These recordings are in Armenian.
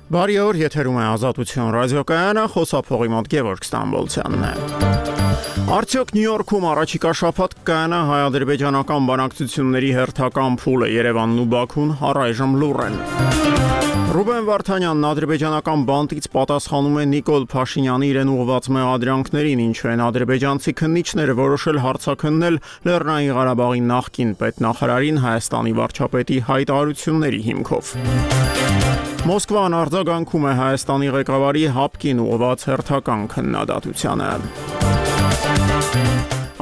Բարի օր, եթերում է Ազատություն ռադիոկայանը, խոսափողի մոտ Գևորգ Ստամբոլցյանն է։ Արդյոք Նյու Յորքում առաջիկա շաբաթ կայանա հայ-ադրբեջանական բանակցությունների հերթական փուլը, Երևանն ու Բաքուն առայժմ լուռ են։ Ռուբեն Վարդանյանն ադրբեջանական բանտից պատասխանում է Նիկոլ Փաշինյանի իրեն ուղղված մեղադրանքներին, ինչու են ադրբեջանցի քննիչները որոշել հարցաքննել Լեռնային Ղարաբաղի նախկին պետնախարարին Հայաստանի վարչապետի հայտարարությունների հիմքով։ Մոսկվան արձագանքում է Հայաստանի ղեկավարի հապկին ուղղված հերթական քննադատությանը։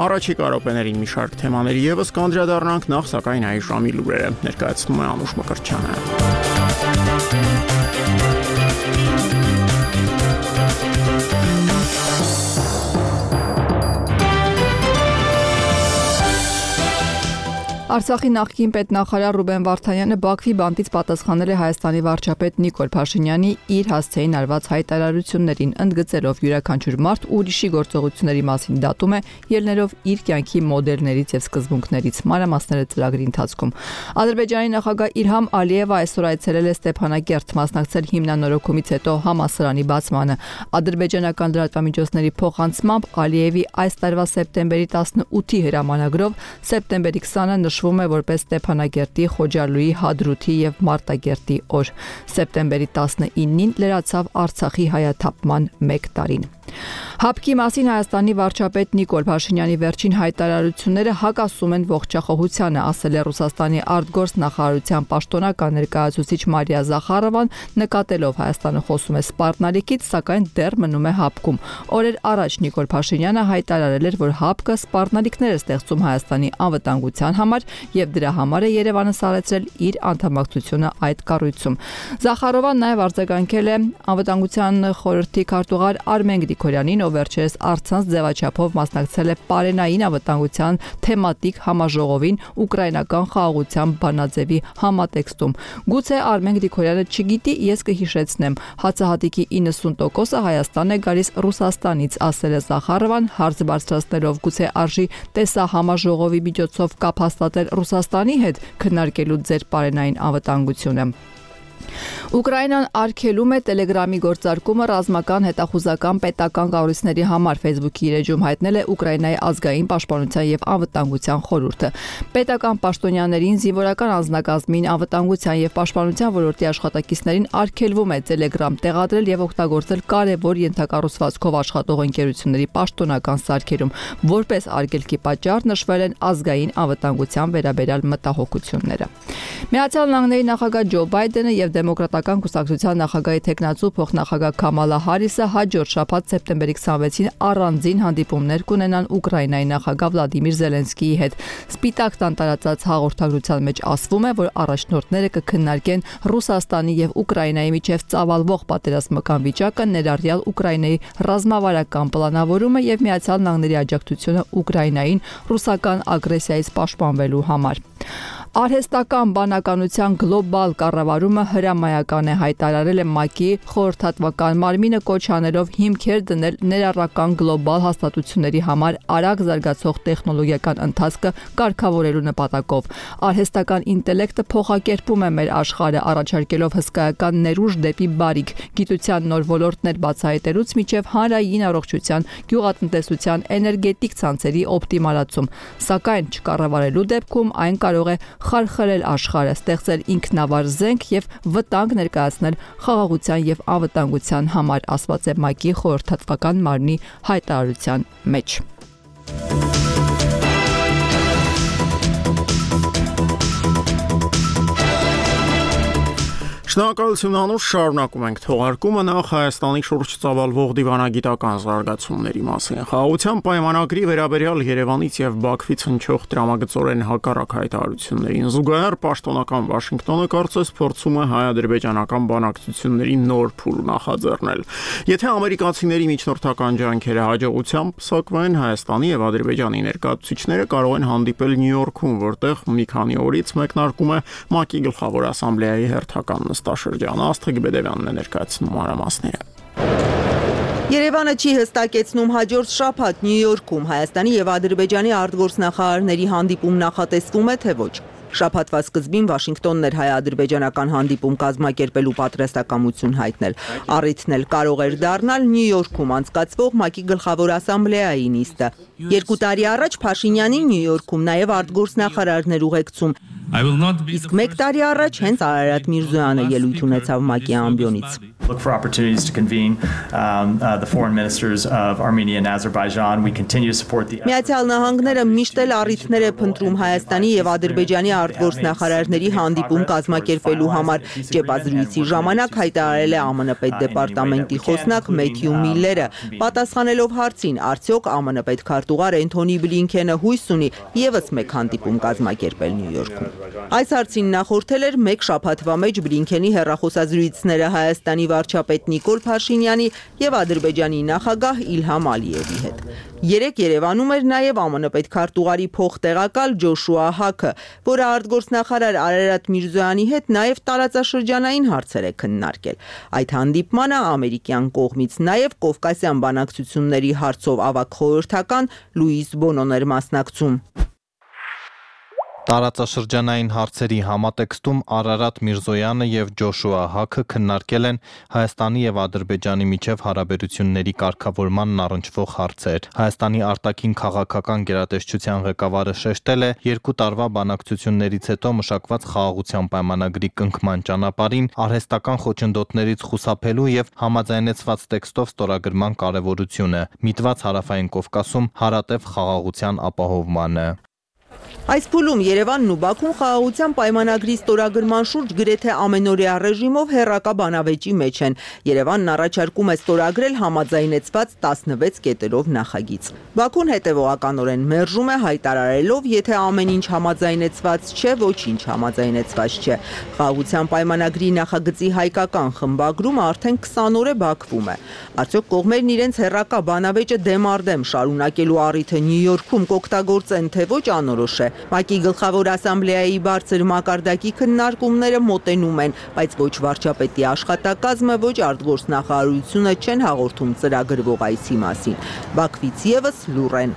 Առաջիկա րոպեներին մի շարք թեմաների ևս կանդրադառնանք, նախ սակայն այս ժամի լուրերը ներկայացնում է Անուշ Մկրտչյանը։ Արցախի նախկին պետնախարար Ռուբեն Վարդանյանը Բաքվի բանտից պատասխանել է Հայաստանի վարչապետ Նիկոլ Փաշինյանի իր հասցեին արված հայտարարություններին, ընդգծելով յուրաքանչյուր մարդ ուրիշի գործողությունների մասին դատում է, ելնելով իր կյանքի մոդելներից եւ սկզբունքներից։ Մանրամասները ծրագրի ընթացքում։ Ադրբեջանի նախագահ Իլհամ Ալիևը այսօր այցելել է Ստեփանակերտ, մասնակցել հիմնանորոգումից հետո համալսարանի բացմանը։ Ադրբեջանական լրատվամիջոցների փոխանցմամբ Ալիևի այս տարվա սեպտեմբերի 18-ի հրամանագրով սեպտեմբերի 20-ը նշվում է որպես Ստեփանակերտի, Խոջալույի, Հադրութի եւ Մարտակերտի օր։ Սեպտեմբերի 19-ին լրացավ Արցախի հայաթափման 1 տարին։ Հապկի մասին Հայաստանի վարչապետ Նիկոլ Փաշինյանի վերջին հայտարարությունները հակասում են ողջախոհությանը, ասել է Ռուսաստանի արտգործնախարարության պաշտոնական ներկայացուցիչ Մարիա Զախարովան, նկատելով Հայաստանը խոսում է սպառնալիքից, սակայն դեռ մնում է հապկում։ Օրեր առաջ Նիկոլ Փաշինյանը հայտարարել էր, որ հապկը սպառնալիքներ է ստեղծում Հայաստանի անվտանգության համար եւ դրա համար է Երևանը սարեցրել իր անդամակցությունը այդ կառույցում։ Զախարովան նաև արձագանքել է անվտանգության խորհրդի քարտուղար Արմեն Գրիգորյանին, ով վերջերս առցանց ձևաչափով մասնակցել է Պարենային անվտանգության թեմատիկ համաժողովին ուկրաինական խաղաղության բանաձևի համատեքստում։ Գուցե Արմեն Գրիգորյանը չգիտի, ես կհիշեցնեմ, հացահատիկի 90%-ը Հայաստան է գալիս Ռուսաստանից, ասել է Զախարովան, հարց բարձրացնելով գուցե արժի տեսահամաժողովի միջոցով կապ հաստատել Ռուսաստանի հետ, քննարկելու ձեր պարենային անվտանգությունը։ Ուկրաինան արգելում է Տելեգրամի գործարկումը ռազմական, հետախուզական, պետական կառույցների համար, Facebook-ի իր էջում հայտնել է Ուկրաինայի ազգային պաշտպանության եւ անվտանգության խորհուրդը։ Պետական պաշտոնյաներին, զինվորական անձնակազմին, անվտանգության եւ պաշտպանության ոլորտի աշխատակիցներին արգելվում է Telegram տեղադրել եւ օգտագործել կարևոր ենթակառուցվածքով աշխատող ընկերությունների պաշտոնական սարքերում, որպես արգելքի պատճառ նշվել են ազգային անվտանգության վերաբերյալ մտահոգությունները։ Միացյալ Նահանգների նախագահ Ջո Բայդենը եւ Դեմոկրատական կուսակցության նախագահի տեխնացու փոխնախագահ Քամալա Հարիսը հաջորդ շաբաթ սեպտեմբերի 26-ին առանձին հանդիպումներ կունենան Ուկրաինայի նախագահ Վլադիմիր Զելենսկիի հետ։ Սպիտակ տան տարածած հաղորդագրության մեջ ասվում է, որ առաջնորդները կքննարկեն Ռուսաստանի եւ Ուկրաինայի միջև ծավալվող պատերազմական վիճակը, ներառյալ Ուկրաինայի ռազմավարական պլանավորումը եւ Միացյալ Նահանգների աջակցությունը Ուկրաինային ռուսական ագրեսիայից պաշտպանվելու համար։ Արհեստական բանականության գլոբալ կառավարումը հրամայական է, հայտարարել է ՄԱԿ-ի խորհրդատվական մարմինը, կոչ անելով հիմքեր դնել ներառական գլոբալ հաստատությունների համար արագ զարգացող տեխնոլոգիական ընթացքը կարգավորելու նպատակով։ Արհեստական ինտելեկտը փոխակերպում է մեր աշխարհը, առաջարկելով հսկայական ներուժ դեպի բարիք, գիտության նոր ոլորտներ բացահայտելուց մինչև հանրային առողջության, գյուղատնտեսության, էներգետիկ ցանցերի օպտիմալացում, սակայն չկառավարելու դեպքում այն կարող է խարխլել աշխարհը, ստեղծել ինքնավար զենք եւ վտանգ ներկայացնել խաղաղության եւ անվտանգության համար, ասված է ՄԱԿ-ի խորհրդատվական մարմնի հայտարարության մեջ։ Շնորհակալություն Անուշ, շարունակում ենք թողարկումը, նախ Հայաստանի շուրջ ծավալվող դիվանագիտական զարգացումների մասին։ Խաղաղության պայմանագրի վերաբերյալ Երևանից եւ Բաքվից հնչող տրամագծորեն հակառակ հայտարարություններին զուգահեռ պաշտոնական Վաշինգտոնը կարծես փորձում է հայ-ադրբեջանական բանակցությունների նոր փուլ նախաձեռնել։ Եթե ամերիկացիների միջնորդական ջանքերը հաջողությամբ սակվեն, Հայաստանի եւ Ադրբեջանի ներկայացուցիչները կարող են հանդիպել Նյու Յորքում, որտեղ մի քանի օրից մեկնարկում է ՄԱԿ-ի գլխավոր ասամբլեայի հերթական նստաշրջանը։ Աստղիկ Բեդևյանն է ներկայացնում մանրամասները։ Երևանը չի հստակեցնում հաջորդ շաբաթ Նյու Յորքում Հայաստանի եւ Ադրբեջանի արտգործնախարարների հանդիպում նախատեսվում է թե ոչ։ Շաբաթվա սկզբին Վաշինգտոնն էր հայ-ադրբեջանական հանդիպում կազմակերպելու պատրաստակամություն հայտնել։ Առիթն էլ կարող էր դառնալ Նյու Յորքում անցկացվող ՄԱԿ-ի գլխավոր ասամբլեայի նիստը։ 2 տարի առաջ Փաշինյանին Նյու Յորքում նաև արտգործնախարարն էր ուղեկցում։ Իսկ 1 տարի առաջ հենց Արարատ Միրզոյանը ելույթ ունեցավ ՄԱԿ-ի ամբիոնից։ Look for opportunities to convene the foreign ministers of Armenia and Azerbaijan. We continue to support the Միացյալ Նահանգները միշտ էլ առիթներ է փնտրում Հայաստանի եւ Ադրբեջանի արտգործնախարարների հանդիպում կազմակերպելու համար։ Ճեպազրույցի ժամանակ հայտարարել է ԱՄՆ պետդեպարտամենտի խոսնակ Մեթյու Միլլերը, պատասխանելով հարցին, արդյոք ԱՄՆ պետքարտուղար Էնթոնի Բլինքենը հույս ունի եւս մեկ հանդիպում կազմակերպել Նյու Յորքում։ Այս հարցին նախորդել էր 1 շաբաթվա մեջ Բլինքենի հեռախոսազրույցները Հայաստանի վարչապետ Նիկոլ Փաշինյանի եւ Ադրբեջանի նախագահ Իլհամ Ալիևի հետ։ Երեկ Երևանում էր նաև ԱՄՆ պետքարտուղարի փոխտեղակալ Ջոշուա Հաքը, որը արտգործնախարար Արարատ Միրզոյանի հետ նաև տարածաշրջանային հարցեր է քննարկել։ Այդ հանդիպմանը ամերիկյան կողմից նաև Կովկասյան բանակցությունների հարցով ավագ խորհրդական Լուիս Բոնոն էր մասնակցում։ Տարածաշրջանային հարցերի համատեքստում Արարատ Միրզոյանը եւ Ջոշուա Հաքը քննարկել են Հայաստանի եւ Ադրբեջանի միջև հարաբերությունների կարգավորմանն առնչվող հարցեր։ Հայաստանի արտաքին քաղաքական գերատեսչության ղեկավարը շեշտել է 2 տարվա բանակցություններից հետո մշակված խաղաղության պայմանագրի կնքման ճանապարհին արհեստական խոչընդոտներից խուսափելու եւ համաձայնեցված տեքստով ստորագրման կարեւորությունը, միտված Հարավային Կովկասում հարատև խաղաղության ապահովմանը։ Այս փուլում Երևանն ու Բաքուն խաղաղության պայմանագրի ստորագրման շուրջ գրեթե ամենօրյա ռեժիմով հեռակա բանավեճի մեջ են։ Երևանն առաջարկում է ստորագրել համաձայնեցված 16 կետերով նախագիծ։ Բաքուն հետևողականորեն մերժում է հայտարարելով, եթե ամեն ինչ համաձայնեցված չէ, ոչինչ համաձայնեցված չէ։ Խաղաղության պայմանագրի նախագծի հայկական խմբագրումը արդեն 20 օր է բաքվում է։ Արդյոք կողմերն իրենց հեռակա բանավեճը դեմ առ դեմ շարունակելու առիթը Նյու Յորքում կօգտագործեն, թե ոչ անորոշ է։ ՄԱԿ-ի գլխավոր ասամբլեայի բարձր մակարդակի քննարկումները մոտենում են, բայց ոչ վարչապետի աշխատակազմը, ոչ արտգործնախարարությունը չեն հաղորդում ծրագրվող այցի մասին։ Բաքվից եւս լուռ են։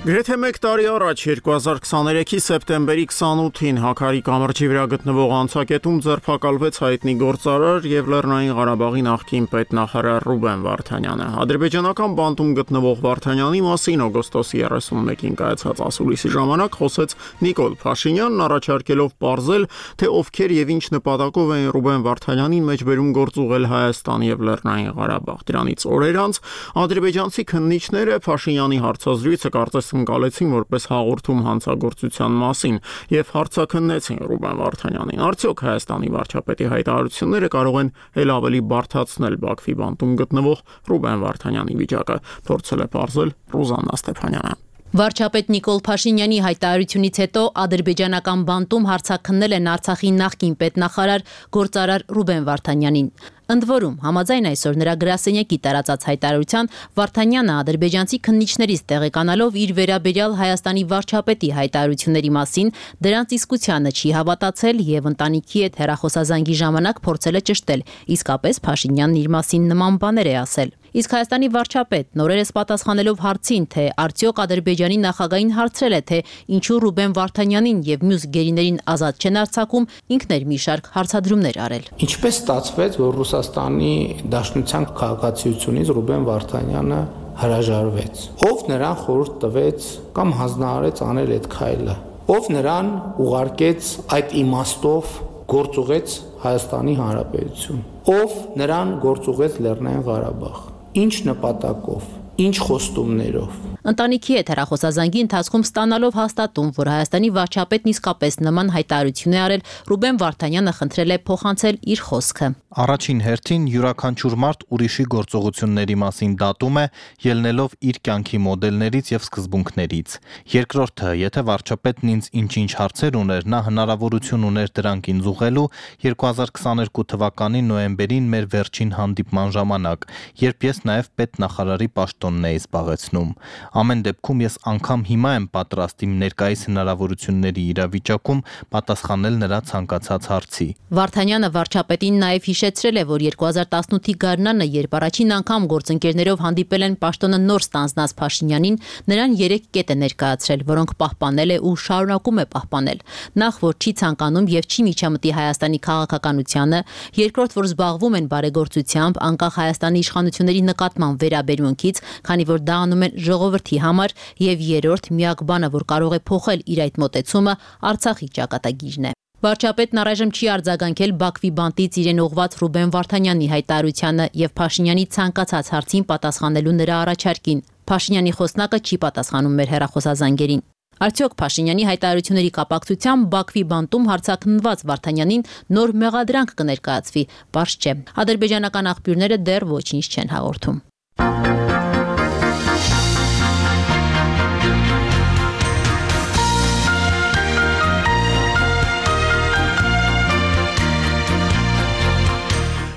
Գրեթե 1 տարի առաջ 2023-ի սեպտեմբերի 28-ին Հաքարի կամրջի վրա գտնվող անցակետում ձերբակալվեց հայտնի գործարար եւ Լեռնային Ղարաբաղի նախկին պետնախարար Ռուբեն Վարդանյանը։ Ադրբեջանական բանտում գտնվող Վարդանյանի մասին օգոստոսի 31-ին կայացած ասուլիսի ժամանակ խոսեց Նիկոլ Փաշինյանն, առաջարկելով պարզել, թե ովքեր եւ ինչ նպատակով են Ռուբեն Վարդանյանին մեջբերում գործուղել Հայաստան եւ Լեռնային Ղարաբաղ։ Դրանից օրեր անց ադրբեջանցի քննիչները Փաշինյանի հարցազրույցը կարծես ընկալեցին որպես հաղորդում հանցագործության մասին եւ հարցաքննեցին Ռուբեն Վարդանյանին։ Արդյոք Հայաստանի վարչապետի հայտարարությունները կարող են ել ավելի բարդացնել Բաքվի բանտում գտնվող Ռուբեն Վարդանյանի վիճակը, փորձել է պարզել Ռուզաննա Ստեփանյանը։ Վարչապետ Նիկոլ Փաշինյանի հայտարարությունից հետո ադրբեջանական բանտում հարցաքննել են Արցախի նախկին պետնախարար գործարար Ռուբեն Վարդանյանին։ Ընդ որում, համաձայն այսօր նրա գրասենյակի տարածած հայտարարության, Վարդանյանը ադրբեջանցի քննիչներից տեղեկանալով իր վերաբերյալ Հայաստանի վարչապետի հայտարարությունների մասին դրանց իսկությանը չի հավատացել եւ ընտանիքի հետ հեռախոսազանգի ժամանակ փորձել է ճշտել, իսկապես Փաշինյանն իր մասին նման բաներ է ասել։ Իսկ Հայաստանի վարչապետն օրերս պատասխանելով հարցին, թե արդյոք Ադրբեջանի նախագահին հարցրել է, թե ինչու Ռուբեն Վարդանյանին եւ մյուս գերիներին ազատ չեն արձակում, ինքն էր մի շարք հարցադրումներ արել։ Ինչպես ստացվեց, որ Ռուսաստանի Դաշնության քաղաքացիությունից Ռուբեն Վարդանյանը հրաժարվեց։ Ով նրան խորհուրդ տվեց կամ հանձնարարեց անել այդ քայլը։ Ով նրան ուղարկեց այդ իմաստով գործուղեց Հայաստանի Հանրապետություն։ Ով նրան գործուղեց Լեռնային Ղարաբաղ։ Ինչ նպատակով, ինչ խոստումներով։ Ընտանիքի հետ հեռախոսազանգի ընթացքում ստանալով հաստատում, որ Հայաստանի վարչապետն իսկապես նման հայտարարություն է արել, Ռուբեն Վարդանյանը խնդրել է փոխանցել իր խոսքը։ Առաջին հերթին յուրաքանչյուր մարդ ուրիշի գործողությունների մասին դատում է, ելնելով իր կյանքի մոդելներից եւ սկզբունքներից։ Երկրորդը, եթե վարչապետն ինձ ինչ-ինչ հարցեր ուներ, նա հնարավորություն ուներ դրանք ինձ ուղղելու 2022 թվականի նոյեմբերին մեր վերջին հանդիպման ժամանակ, երբ ես նաեւ պետնախարարի պաշտոնն էի զբաղեցնում։ Ամեն դեպքում ես անգամ հիմա եմ պատրաստ իմ ներկայիս հնարավորությունների իրավիճակում պատասխանել նրա ցանկացած հարցի։ Վարդանյանը վարչապետին նաև հիշեցրել է, որ 2018-ի գարնանը, երբ առաջին անգամ գործընկերներով հանդիպել են պաշտոնը նոր ստանձնած Փաշինյանին, նրան 3 կետ է ներկայացրել, որոնք պահպանել է ու շարունակում է պահպանել։ Նախ, որ չի ցանկանում եւ չի միջամտի Հայաստանի քաղաքականությանը, երկրորդ, որ զբաղվում են բարեգործությամբ, անկախ Հայաստանի իշխանությունների նկատմամբ վերաբերմունքից, քանի որ դա անում են ժողովրդի համար, եւ երրորդ, միակ բանը, որ կարող է փոխել իր այդ մոտեցումը, Արցախի ճակատագիրն է։ Վարչապետն առայժմ չի արձագանքել Բաքվի բանտից իրեն ուղղված Ռուբեն Վարդանյանի հայտարարությանը եւ Փաշինյանի ցանկացած հարցին պատասխանելու նրա առաջարկին։ Փաշինյանի խոսնակը չի պատասխանում մեր հեռախոսազանգերին։ Արդյոք Փաշինյանի հայտարարությունների կապակցությամբ Բաքվի բանտում հարձակնված Վարդանյանին նոր մեղադրանք կներկայացվի, պարզ չէ։ Ադրբեջանական աղբյուրները դեռ ոչինչ չեն հաղորդում։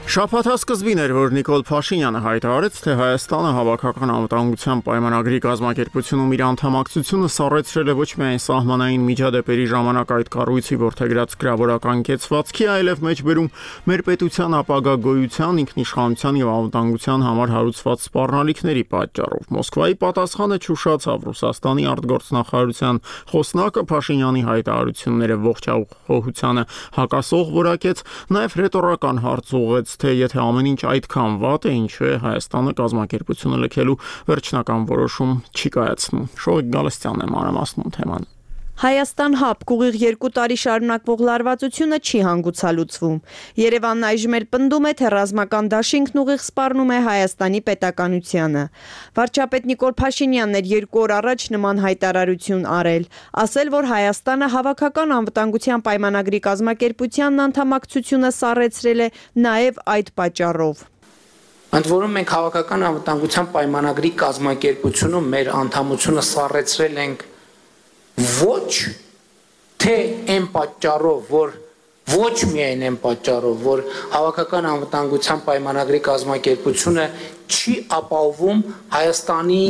Շաբաթա սկզբին էր, որ Նիկոլ Փաշինյանը հայտարարեց, թե Հայաստանը հավաքական անվտանգության պայմանագրի կազմակերպությունում իր անդամակցությունը սառեցրել է ոչ միայն սահմանային միջադեպերի ժամանակ այդ կառույցի որդեգրած գրավորական կեցվածքի, այլև մեջբերում մեր պետության ապագա գոյության, ինքնիշխանության եւ անվտանգության համար հարուցված սպառնալիքների պատճառով։ Մոսկվայի պատասխանը չուշացավ Ռուսաստանի արտգործնախարարության խոսնակը Փաշինյանի հայտարարությունները ողջախոհությանը հակասող որակեց, նաեւ ռետորական հարց ուղղեց, թե եթե ամեն ինչ այդքան վատ է, ինչու է Հայաստանը կազմակերպությունը լքելու վերջնական որոշում չի կայացնում։ Շողիկ Գալստյանն է մանրամասնում թեման։ Հայաստան ՀԱՊԿ ուղիղ 2 տարի շարունակվող լարվածությունը չի հանգուցալուծվում։ Երևանն այժմ էլ պնդում է, թե ռազմական դաշինքն ուղիղ սպառնում է Հայաստանի պետականությանը։ Վարչապետ Նիկոլ Փաշինյանն էր 2 օր առաջ նման հայտարարություն արել, ասել, որ Հայաստանը հավաքական անվտանգության պայմանագրի կազմակերպությանն անդամակցությունը սառեցրել է նաև այդ պատճառով։ Ընդ որում մենք հավաքական անվտանգության պայմանագրի կազմակերպությունում մեր անդամությունը սառեցրել ենք ոչ թե այն պատճառով, որ ոչ միայն այն պատճառով, որ հավաքական անվտանգության պայմանագրի կազմակերպությունը չի ապահովում Հայաստանի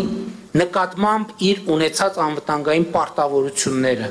նկատմամբ իր ունեցած անվտանգային պարտավորությունները,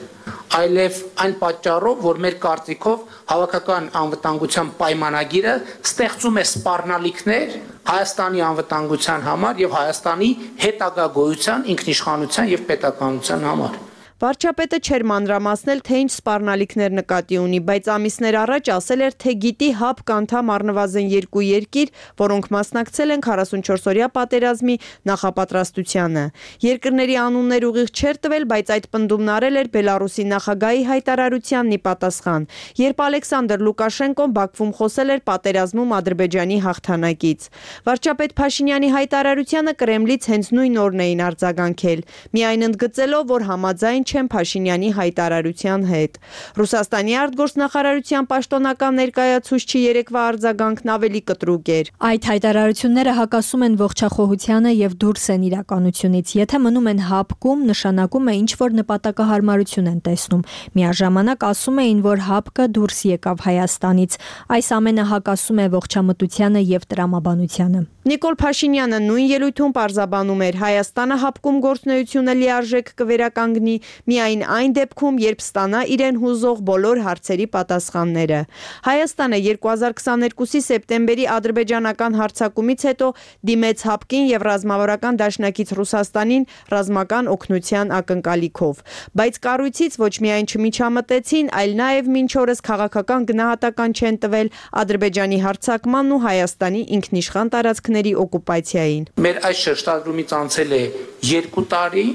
այլև այն պատճառով, որ մեր կարծիքով հավաքական անվտանգության պայմանագիրը ստեղծում է սպառնալիքներ Հայաստանի անվտանգության համար եւ Հայաստանի հետագա գոյության, ինքնիշխանության եւ պետականության համար։ Վարչապետը չէր մանրամասնել, թե ինչ սպառնալիքներ նկատի ունի, բայց ամիսներ առաջ ասել էր, թե գիտի ՀԱՊԿ անդամ առնվազն 2 երկիր, որոնք մասնակցել են 44-օրյա պատերազմի նախապատրաստությանը։ Երկրների անուններ ուղիղ չէր տվել, բայց այդ պնդումն արել էր Բելարուսի նախագահի հայտարարությանն ի պատասխան, երբ Ալեքսանդր Լուկաշենկոն Բաքվում խոսել էր պատերազմում Ադրբեջանի հաղթանակից։ Վարչապետ Փաշինյանի հայտարարությանը Կրեմլից հենց նույն օրն էին արձագանքել, միայն ընդգծելով, որ համաձայն չեն Փաշինյանի հայտարարության հետ։ Ռուսաստանի արտգործնախարարության պաշտոնական ներկայացուցչի երեկվա արձագանքն ավելի կտրուկ էր։ Այդ հայտարարությունները հակասում են ողջախոհությանը եւ դուրս են իրականությունից։ Եթե մնում են ՀԱՊԿ-ում, նշանակում է ինչ-որ նպատակահարմարություն են տեսնում։ Միաժամանակ ասում էին, որ ՀԱՊԿ-ը դուրս եկավ Հայաստանից։ Այս ամենը հակասում է ողջամտությանը եւ տրամաբանությանը։ Նիկոլ Փաշինյանը նույն ելույթում պարզաբանում էր, Հայաստանը ՀԱՊԿ-ում գործունեությունը լիարժեք կվերականգնի միայն այն դեպքում, երբ ստանա իրեն հուզող բոլոր հարցերի պատասխանները։ Հայաստանը 2022-ի սեպտեմբերի ադրբեջանական հարձակումից հետո դիմեց ՀԱՊԿ-ին եւ ռազմավարական դաշնակից Ռուսաստանին ռազմական օգնության ակնկալիքով, բայց կառույցից ոչ միայն չմիջամտեցին, այլ նաեւ մինչ օրս քաղաքական գնահատական չեն տվել Ադրբեջանի հարձակմանն ու Հայաստանի ինքնիշխան տարածքների օկուպացիային։ Մեր այս շրջադրումից անցել է 2 տարի,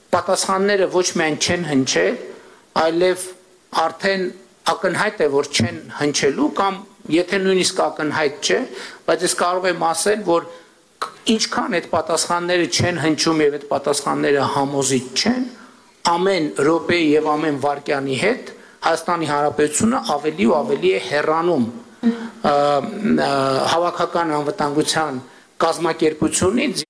պատասխանները ոչ միայն չեն հնչել, այլև արդեն ակնհայտ է, որ չեն հնչելու կամ եթե նույնիսկ ակնհայտ չէ, բայց ես կարող եմ ասել, որ ինչքան այդ պատասխանները չեն հնչում եւ այդ պատասխանները համոզիչ չեն, ամեն րոպեի եւ ամեն վայրկյանի հետ Հայաստանի Հանրապետությունը ավելի ու ավելի է հեռանում հավաքական անվտանգության կազմակերպությունից։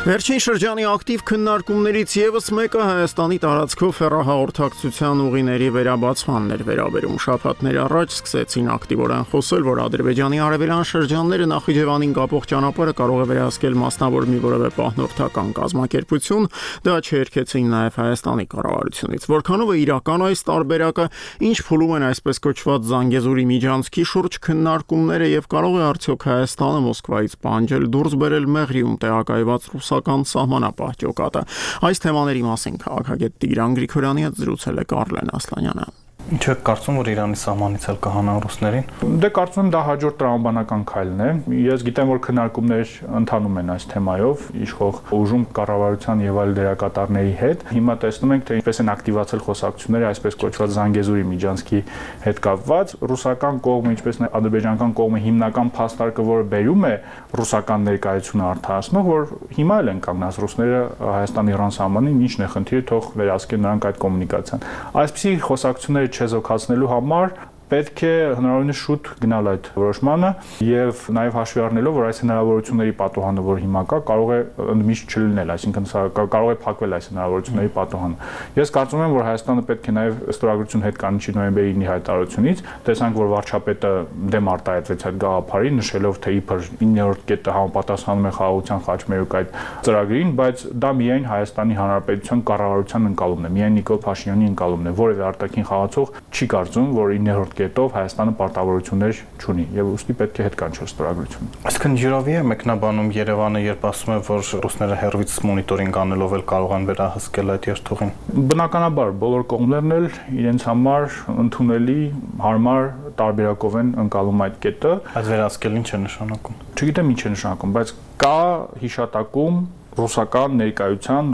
Վերջին շրջանի ակտիվ քննարկումներից եւս մեկը Հայաստանի տարածքով հեռահաղորդակցության ուղիների վերաբացմանն էր վերաբերում։ Շաբաթներ առաջ սկսեցին ակտիվորեն խոսել, որ Ադրբեջանի արևելյան շրջանները Նախիջևանին կապող ճանապարհը կարող է վերահսկել մասնավոր մի որևէ պահնորդական կազմակերպություն, դա չերքեցին նաեւ Հայաստանի կառավարությունից։ Որքանով է իրական այս տարբերակը, ինչ փուլում են այսպես կոչված Զանգեզուրի միջանցքի շուրջ քննարկումները եւ կարող է արդյոք Հայաստանը Մոսկվայից պահանջել դուրս բերել Մեղրիում տեղակայված ռուսական սահմանապահ ջոկատը։ Այս թեմաների մասին քաղաքագետ Տիգրան Գրիգորյանի հետ զրուցել է Կարլեն Ասլանյանը։ Ինչ եք կարծում, որ Իրանի սահմանից էլ կհանան ռուսներին։ Դե կարծում եմ դա հաջորդ տրամաբանական քայլն է։ Ես գիտեմ, որ քննարկումներ ընթանում են այս թեմայով իշխող ուժում կառավարության եւ այլ դերակատարների հետ։ Հիմա տեսնում ենք, թե ինչպես են ակտիվացել խոսակցությունները այսպես կոչված Զանգեզուրի միջանցքի հետ կապված։ Ռուսական կողմը, ինչպես նաեւ ադրբեջանական կողմը հիմնական փաստարկը, որը բերում է ռուսական ներկայությունը արդարացնող, որ հիմա էլ են կանգնած ռուսները Հայաստան-Իրան սահմանին, ինչն է խնդիրը, թող վերահսկեն նրանք այդ կոմունիկացիան։ Այսպիսի խոսակցությունները չեզոքացնելու համար պետք է հնարավորինս շուտ գնալ այդ որոշմանը եւ նաեւ հաշվի առնելով, որ այս հնարավորությունների պատոհանը, որ հիմա կա, կարող է ընդմիշտ չլինել, այսինքն կարող է փակվել այս հնարավորությունների պատոհանը։ Ես կարծում եմ, որ Հայաստանը պետք է նաեւ ստորագրություն հետ կանչի նոյեմբերի 9-ի հայտարարությունից, տեսանք, որ վարչապետը դեմ արտահայտվեց այդ գաղափարին, նշելով, թե իբր 9-րդ կետը համապատասխանում է խաղաղության խաչմերուկ այդ ծրագրին, բայց դա միայն Հայաստանի Հանրապետության կառավարության ընկալումն է, միայն Նիկոլ Փաշինյանի ընկալումն է, որևէ արտաքին խաղացող չի կարծում, որ 9-րդ կետով Հայաստանը պարտավորություններ չունի եւ ուստի պետք է հետ կանչել ստորագրությունը։ Այսինքն յուրովի է մեկնաբանում Երևանը, երբ ասում է, որ ռուսները հեռվից մոնիտորինգ անելով էլ կարող են վերահսկել այդ երթուղին։ Բնականաբար բոլոր կողմերն էլ իրենց համար ընդունելի, հարմար տարբերակով են ընկալում այդ կետը։ Այդ վերահսկելն ինչ է նշանակում։ Չգիտեմ ինչ է նշանակում, բայց կա հիշատակում ռուսական ներկայության,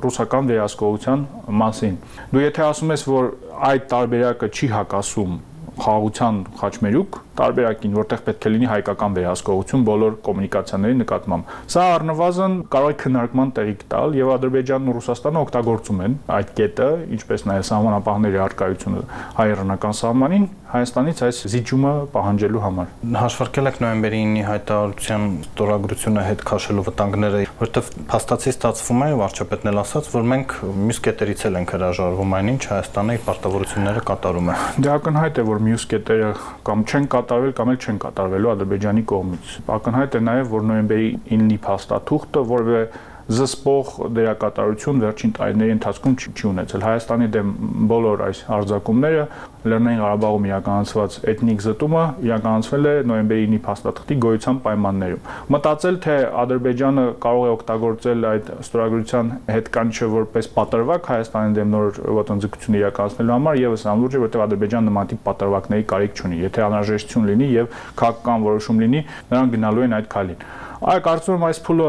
ռուսական վերահսկողության մասին։ Դու եթե ասում ես, որ այդ տարբերակը չի հակասում խաղաղության խաչմերուկ տարբերակին, որտեղ պետք է լինի հայկական վերահսկողություն բոլոր կոմունիկացիաների նկատմամբ։ Սա առնվազն կարող է քննարկման տեղիք տալ եւ Ադրբեջանն ու Ռուսաստանը օգտագործում են այդ կետը, ինչպես նաեւ սահմանապահների առկայությունը հայ-իրանական սահմանին Հայաստանից այս զիջումը պահանջելու համար։ Հաշվարկել եք նոյեմբերի 9-ի հայտարարության ստորագրությունը հետ քաշելու վտանգները, որտեղ փաստացի ստացվում է, վարչապետն էլ ասաց, որ մենք մյուս կետերից էլ ենք հրաժարվում, այնինչ Հայաստանը իր պարտավորությունները կատարում է։ Դա ակնհայտ է, որ մյուս կետերը կամ չեն կատարվել կամ էլ չեն կատարվելու Ադրբեջանի կողմից։ Ակնհայտ է նաև, որ նոյեմբերի 9-ի փաստաթուղթը որևէ զսպող դերակատարություն վերջին տարիների ընթացքում չի ունեցել։ Հայաստանի դեմ բոլոր այս արձակումները Լեռնային Ղարաբաղում իրականացված էթնիկ զտումը իրականացվել է նոյեմբերի 9-ի փաստաթղթի գոյության պայմաններում։ Մտածել, թե Ադրբեջանը կարող է օգտագործել այդ ստորագրության հետ կանչը որպես պատրվակ Հայաստանի դեմ նոր ոտնձգություն իրականացնելու համար, եւս անլուրջ է, որտեղ Ադրբեջանը նման տիպ պատրվակների կարիք չունի։ Եթե անհրաժեշտություն լինի եւ քաղաքական որոշում լինի, նրանք գնալու են այդ քայլին։ Կարծում եմ այս փուլը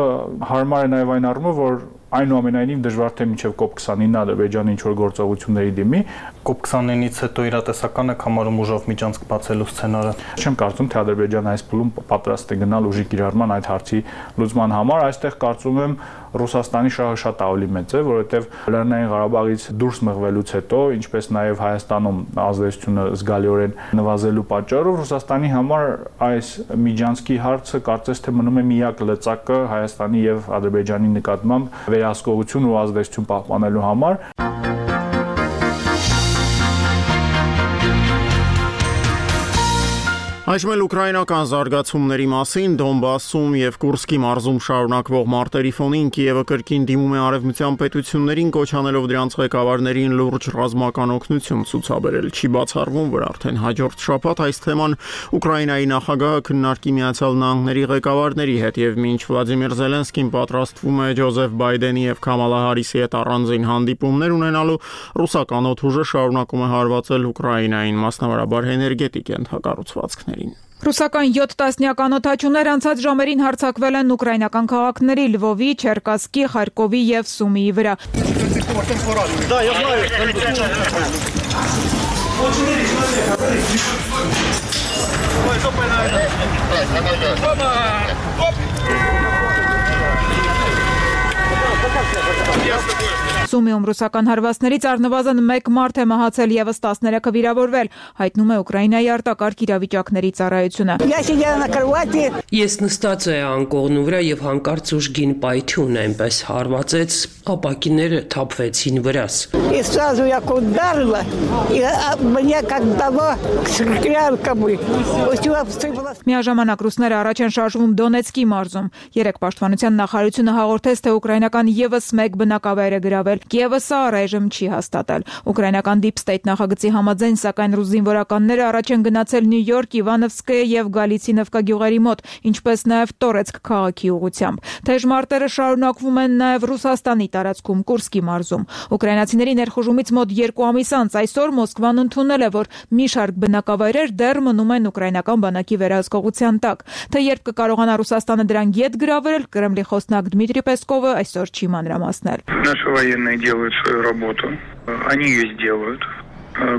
հարմար է նաև այն առումով, որ այնուամենայնիվ դժվար թե մինչև COP29 Ադրբեջանը ինչ-որ գործողությունների դիմի։ COP29-ից հետո իրատեսական է համարում ուժով միջանցք բացելու սցենարը։ Չեմ կարծում, թե Ադրբեջանը այս փուլում պատրաստ է գնալ ուժի կիրառման այդ հարցի լուծման համար։ Այստեղ կարծում եմ Ռուսաստանի շահը շատ ավելի մեծ է, որովհետև Լեռնային Ղարաբաղից դուրս մղվելուց հետո, ինչպես նաև Հայաստանում ազդեցությունը զգալիորեն նվազելու պատճառով Ռուսաստանի համար այս միջանցքի հարցը կարծես թե մնում է միակ լծակը Հայաստանի եւ Ադրբեջանի նկատմամբ վերահսկողություն ու ազդեցություն պահպանելու համար։ Այժմ էլ ուկրաինական զարգացումների մասին Դոնբասում եւ Կուրսկի մարզում շարունակվող մարտերի ֆոնին Կիևը կրկին դիմում է արևմտյան պետություններին, կոչանելով դրանց ղեկավարներին լուրջ ռազմական օգնություն ցուցաբերել։ Չի բացառվում, որ արդեն հաջորդ շաբաթ այս թեման Ուկրաինայի նախագահը քննարկի Միացյալ Նահանգների ղեկավարների հետ եւ մինչ Վլադիմիր Զելենսկին պատրաստվում է Ջոզեֆ Բայդենի եւ Քամալա Հարիսի հետ առանձին հանդիպումներ ունենալու, ռուսական օդուժը շարունակում է հարվածել Ուկրաինային, մասնավորաբար էներգետիկ ենթակառուցվածքներին։ Ռուսական 7 տասնյական օդաչուներ անցած ժամերին հարձակվել են ուկրաինական քաղաքների Լվովի, Չերկասկի, Խարկովի եւ Սումիի վրա։ Սումիում ռուսական հարվածներից առնվազն 1 մարդ է մահացել եւս 13-ը վիրավորվել, հայտնում է Ուկրաինայի արտակարգ իրավիճակների ծառայությունը։ Ես նստած էի անկողնու վրա եւ հանկարծ ուժգին պայթյուն այնպես հարվածեց, ապակիները թափվեցին վրաս։ Միաժամանակ ռուսները առաջ են շարժվում Դոնեցկի մարզում։ Երեք պաշտպանության նախարարությունը հաղորդեց, թե ուկրաինական եւս 1 բնակավայր է գրավել։ Կիևը սա առայժմ չի հաստատել։ Ուկրաինական Deep State նախագծի համաձայն, սակայն ռուս զինվորականները առաջ են գնացել Նյու Յորք, Իվանովսկը եւ Գալիցինովկա գյուղերի մոտ, ինչպես նաեւ Տորեցկ քաղաքի ուղղությամբ։ Թեժ մարտերը շարունակվում են նաեւ Ռուսաստանի տարածքում Կուրսկի մարզում։ Ուկրաինացիների ներխուժումից մոտ 2 ամիս անց այսօր Մոսկվան ընդունել է, որ մի շարք բնակավայրեր դեռ մնում են ուկրաինական բանակի վերահսկողության տակ։ Թե երբ կկարողանա Ռուսաստանը դրան ետ գրավել, Կրեմլի խոսնակ Դմիտրի Պեսկովը այսօր չի մանրամասնել։ Наши военные делают свою работу. Они ее сделают.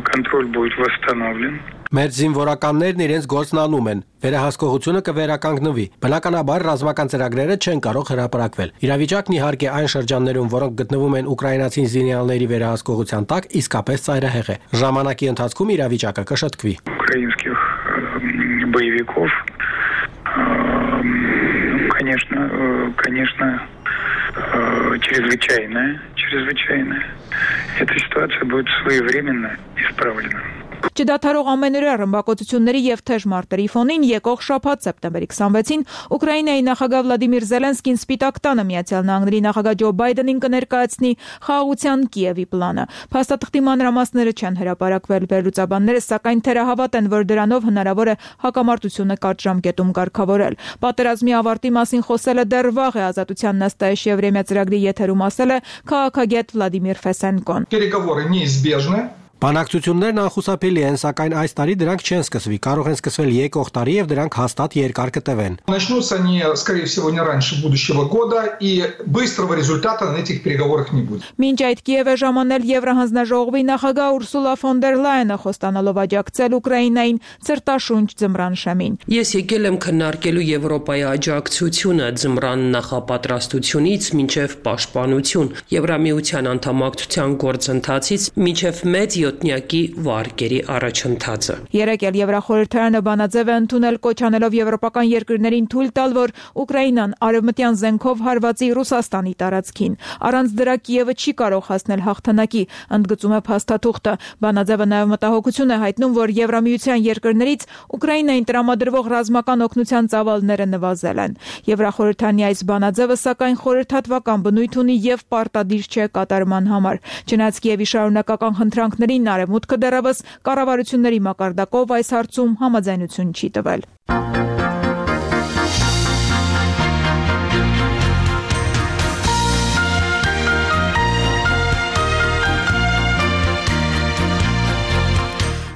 Контроль будет восстановлен. Մեր զինվորականներն իրենց գործն անում են։ Վերահսկողությունը կվերականգնվի։ Բնականաբար ռազմական ծրագրերը չեն կարող հրապարակվել։ Իրավիճակն իհարկե այն շրջաններում, որոնք գտնվում են ուկրաինացի զինյալների վերահսկողության տակ, իսկապես ծայրահեղ է։ Ժամանակի ընթացքում իրավիճակը կշտկվի։ Украинских боевиков, конечно, чрезвычайная. Эта ситуация будет своевременно исправлена. Չդադարող ամենօրյա ռմբակոծությունների եւ թեժ մարտերի ֆոնին եկող շաբաթ սեպտեմբերի 26-ին Ուկրաինայի նախագահ Վլադիմիր Զելենսկին Սպիտակ տանը Միացյալ Նահանգների նախագահ Ջո Բայդենին կներկայացնի խաղաղության Կիևի պլանը։ Փաստաթղթի մանրամասները չեն հրապարակվել, վերլուծաբանները սակայն թերահավատ են, որ դրանով հնարավոր է հակամարտությունը կարճ ժամկետում կարգավորել։ Պատերազմի ավարտի մասին խոսելը դեռ վաղ է, Ազատության Նաստայեշ Եվրեմիա ծրագրի եթերում ասել է քաղաքագետ Վլադիմիր Ֆեսենկոն։ Переговоры неизбежны. Բանակցություններն անխուսափելի են, сакայն այս տարի դրանք չեն սկսվի, կարող են սկսվել եկող տարի եւ дրանք հաստատ երկար կտևեն։ Начнутся они, скорее всего, не раньше будущего года, и быстрого результата на этих переговорах не будет. Մինչ այդ Կիև է ժամանել Եվրահանձնաժողովի նախագահ Ուրսուլա ֆոն դեր Լայենը խոստանալով աջակցել Ուկրաինային ցրտաշունչ ձմռան շեմին։ Ես եկել եմ քննարկելու Եվրոպայի աջակցությունը ձմռան նախապատրաստությունից մինչև պաշտպանություն, Եվրամիության անդամակցության գործընթացից մինչև մեծ յոթնյակի վարկերի առաջընթացը։ Երեք էլ Եվրախորհրդարանը բանաձև է ընդունել կոչ անելով եվրոպական երկրներին թույլ տալ, որ Ուկրաինան արևմտյան զենքով հարվածի Ռուսաստանի տարածքին։ Առանց դրա Կիևը չի կարող հասնել հաղթանակի, ընդգծում է փաստաթուղթը։ Բանաձևը նաև մտահոգություն է հայտնում, որ Եվրամիության երկրներից Ուկրաինային տրամադրվող ռազմական օգնության ծավալները նվազել են։ Եվրախորհրդարանի այս բանաձևը սակայն խորհրդատվական բնույթ ունի եւ պարտադիր չէ կատարման համար։ Չնայած Կիևի շարունակական խնդրանքներին Արևմուտքը դեռևս կառավարությունների մակարդակով այս հարցում համաձայնություն չի տվել։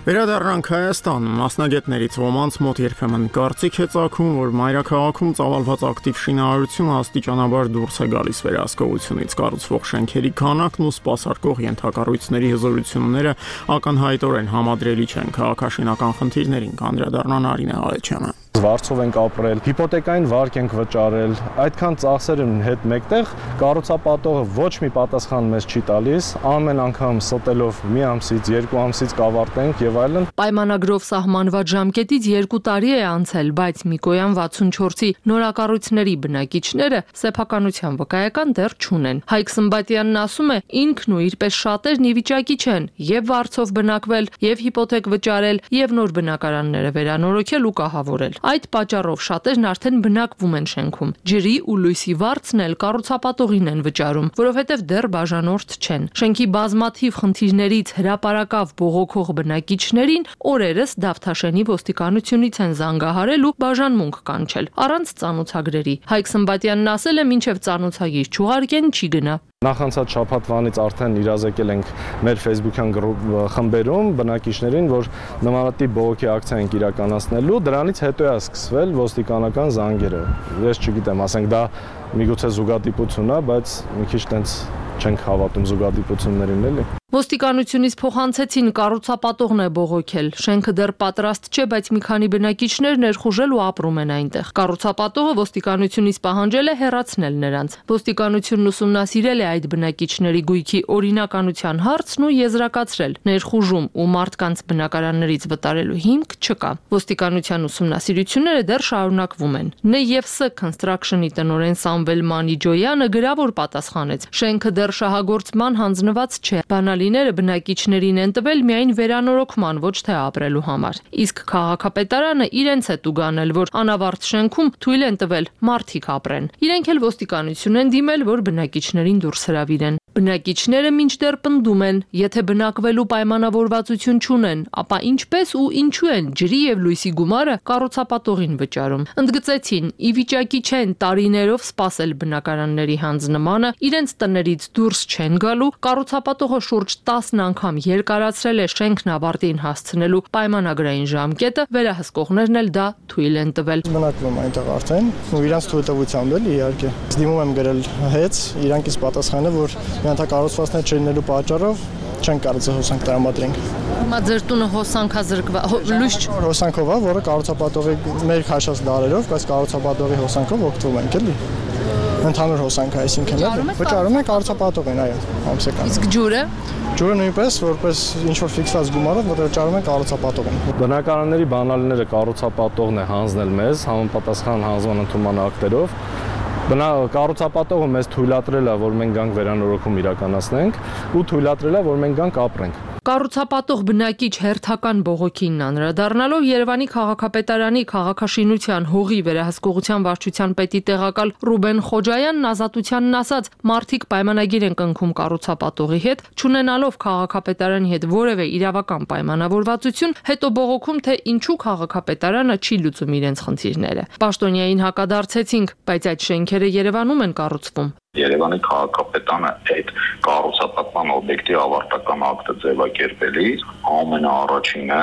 Վերադառնանք Հայաստան, մասնագետներից ոմանց մոտ երբեմն կարծիք է ծագում, որ մայրաքաղաքում ծավալված ակտիվ շինարարությունը աստիճանաբար դուրս է գալիս վերահսկողությունից, կառուցվող շենքերի քանակն ու սպասարկող ենթակառույցների հզորությունները ակնհայտորեն համադրելի չեն քաղաքաշինական խնդիրներին, կանդրադառնա Արինե Աղեչյանը։ Վարձով ենք ապրել, հիպոթեկային վարկ ենք վճարել, այդքան ծախսերի հետ մեկտեղ կառուցապատողը ոչ մի պատասխան մեզ չի տալիս, ամեն անգամ ստելով մի ամսից, 2 ամսից կավարտենք եւ այլն։ Պայմանագրով սահմանված ժամկետից 2 տարի է անցել, բայց Միկոյան 64-ի նորակառույցների բնակիչները սեփականության վկայական դեռ չունեն։ Հայկ Սմբատյանն ասում է, ինքն ու իր պես շատերն ի վիճակի չեն եւ վարձով բնակվել, եւ հիպոթեք վճարել, եւ նոր բնակարանները վերանորոգել ու կահավորել։ Այդ պատճառով շատերն արդեն բնակվում են շենքում։ Ջրի ու լույսի վարձն էլ կառուցապատողին են վճարում, որովհետև դեռ բաժանորդ չեն։ Շենքի բազմաթիվ խնդիրներից հրապարակավ բողոքող բնակիչներին օրերս Դավթաշենի ոստիկանությունից են զանգահարել ու բաժանմունք կանչել, առանց ծանոթագրերի։ Հայկ Սմբատյանն ասել է, մինչև ծանոթագիր չուղարկեն, չի գնա։ Նախանցած շաբաթվանից արդեն իրազեկել ենք մեր Facebook-յան խմբերում բնակիչներին, որ նմանատիպ բողոքի ակցիա ենք իրականացնելու, դրանից հետո է սկսվել ոստիկանական զանգերը։ Ես չգիտեմ, ասենք դա միգուցե զուգադիպություն է, բայց մի քիչ տենց չենք հավատում զուգադիպություններին, էլի։ Ոստիկանությունից փոխանցեցին կառուցապատողն է բողոքել։ Շենքը դեռ պատրաստ չէ, բայց մի քանի բնակիչներ ներխուժել ու ապրում են այնտեղ։ Կառուցապատողը ոստիկանությունից պահանջել է հեռացնել նրանց։ Ոստիկանությունն ուսումնասիրել է այդ բնակիչների գույքի օրինականության հարցն ու եզրակացրել. ներխուժում ու մարդկանց բնակարաններից վտարելու հիմք չկա։ Ոստիկանության ուսումնասիրությունները դեռ շարունակվում են։ ՆԵՎՍ Construction-ի տնօրեն Սամվել Մանիջոյանը գրավոր պատասխանեց. շենքը դեռ շահագործման հանձնված չէ։ Բանալիները բնակիչներին են տվել միայն վերանորոգման, ոչ թե ապրելու համար։ Իսկ քաղաքապետարանը իրենց է տուգանել, որ անավարտ շենքում թույլ են տվել մարդիկ ապրեն։ Իրենք էլ ոստիկանություն են դիմել, որ բնակիչներին դուրս հրավիրեն։ Բնակիչները մինչդեռ պնդում են, եթե բնակվելու պայմանավորվածություն չունեն, ապա ինչպես ու ինչու են ջրի եւ լույսի գումարը կառուցապատողին վճարում։ Ընդգծեցին, ի վիճակի չեն տարիներով սպասել բնակարանների հանձնմանը, իրենց տներից դուրս չեն գալու, կառուցապատողը շուրջ 10 անգամ երկարացրել է շենքն ավարտին հասցնելու պայմանագրային ժամկետը, վերահսկողներն էլ դա թույլ են տվել։ Բնակվում այնտեղ արդեն ու իրանց թույլտվությամբ էլ իհարկե։ Դիմում եմ գրել հետ, իրանքից պատասխանը, որ կառուցվածքներ չլինելու պատճառով չեն կարծել հոսանք տրամադրենք։ Հիմա ձեր տունը հոսանքա զրկված, լույս հոսանքով է, որը կառուցապատողի մեր քաշած դարերով, բայց կառուցապատողի հոսանքով օգտվում ենք էլի։ Ընդհանուր հոսանք, այսինքն վճարում ենք կառուցապատողին, այո, ամսական։ Իսկ ջուրը։ Ջուրը նույնպես որպես ինչ որ ֆիքսված գումարով վճարում ենք կառուցապատողին։ Բնակարանների բանալիները կառուցապատողն է հանձնել մեզ համապատասխան հանձնման ընդունման ակտերով։ Կառուցապատողը մեզ թույլատրել է, որ մենք գանք վերանորոգում իրականացնենք ու թույլատրել է, որ մենք գանք ապրենք։ Կառուցապատող բնակիչ հերթական բողոքին անդրադառնալով Երևանի քաղաքապետարանի քաղաքաշինության հողի վերահսկողության վարչության պետի տեղակալ Ռուբեն Խոջայանն ազատությանն ասաց, մարդիկ պայմանագիր են կնքում կառուցապատողի հետ, չունենալով քաղաքապետարանի հետ որևէ իրավական պայմանավորվածություն, հետո բողոքում, թե ինչու քաղաքապետարանը չի լուծում իրենց խնդիրները։ Պաշտոնյային հակադարձեցինք, բայց այդ շենքերը Երևանում են կառուցվում։ Երևանի քաղաքապետարանը այդ կառուցապատման օբյեկտի ավարտական ակտը ձևակերպելիս ամենաառաջինը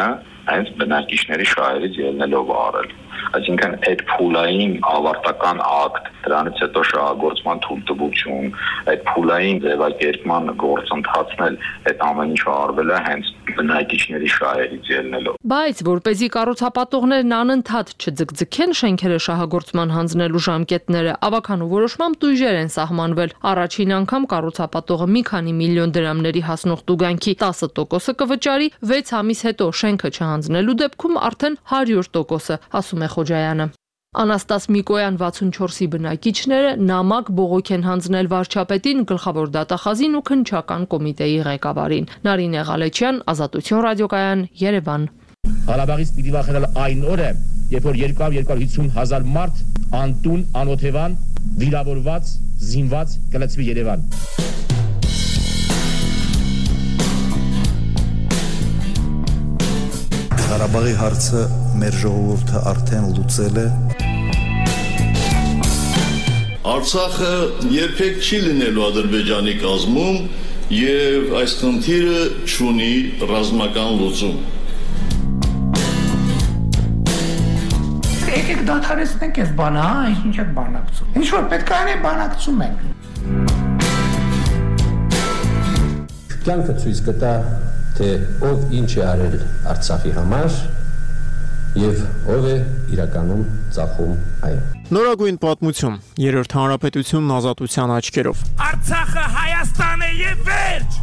հենց բնակիչների շահերից ելնելով արել։ Այսինքն այդ փուլային ավարտական ակտ, դրանից հետո շահագործման թույլտվություն, այդ փուլային ձևակերպման գործընթացն էլ այդ ամեն ինչը արվել է հենց բնակիչների շահերից ելնելով։ Բայց որպեսզի կառուցապատողներն անընդհատ չձգձգեն շենքերը շահագործման հանձնելու ժամկետները, ավականու որոշմամբ տույժեր են սահմանվել։ Առաջին անգամ կառուցապատողը մի քանի միլիոն դրամների հասնող տուգանքի 10% կվճարի, 6 ամիս հետո շենքը չհանձնելու դեպքում արդեն 100%, ասում է Խոջայանը։ Անաստաս Միկոյան 64-ի բնակիչները նամակ բողոք են հանձնել վարչապետին, գլխավոր դատախազին ու քննչական կոմիտեի ղեկավարին։ Նարինե Ղալեչյան, Ազատություն ռադիոկայան, Երևան։ Ղարաբաղից պիտի վախենալ այն օրը, երբ որ 250,000 մարդ անտուն, անօթևան, վիրավորված, զինված կլցվի Երևան։ Ղարաբաղի հարցը մեր ժողովուրդը արդեն լուծել է։ Արցախը երբեք չի լինելու Ադրբեջանի կազմում եւ այս խնդիրը չունի ռազմական լուծում։ Եկեք դադարեցնենք այս բանը, ինչ եք բանակցում։ Ինչ որ պետք է անենք, բանակցում ենք։ Կյանքը ցույց կտա, թե ով ինչ է արել Արցախի համար եւ ով է իրականում ծախում այն։ Նորագույն պատմություն, Երրորդ հանրապետությունն ազատության աչքերով։ Արցախը Հայաստան է եւ վերջ։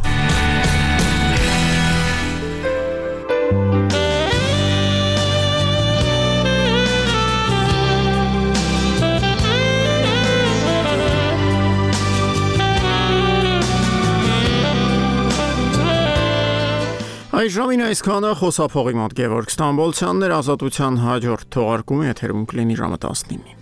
Այժմին այսքանը խոսափողի մոտ Գևորգ Ստամբոլցյանն էր, ազատության հաջորդ թողարկումը եթերում կլինի ժամը 19-ին։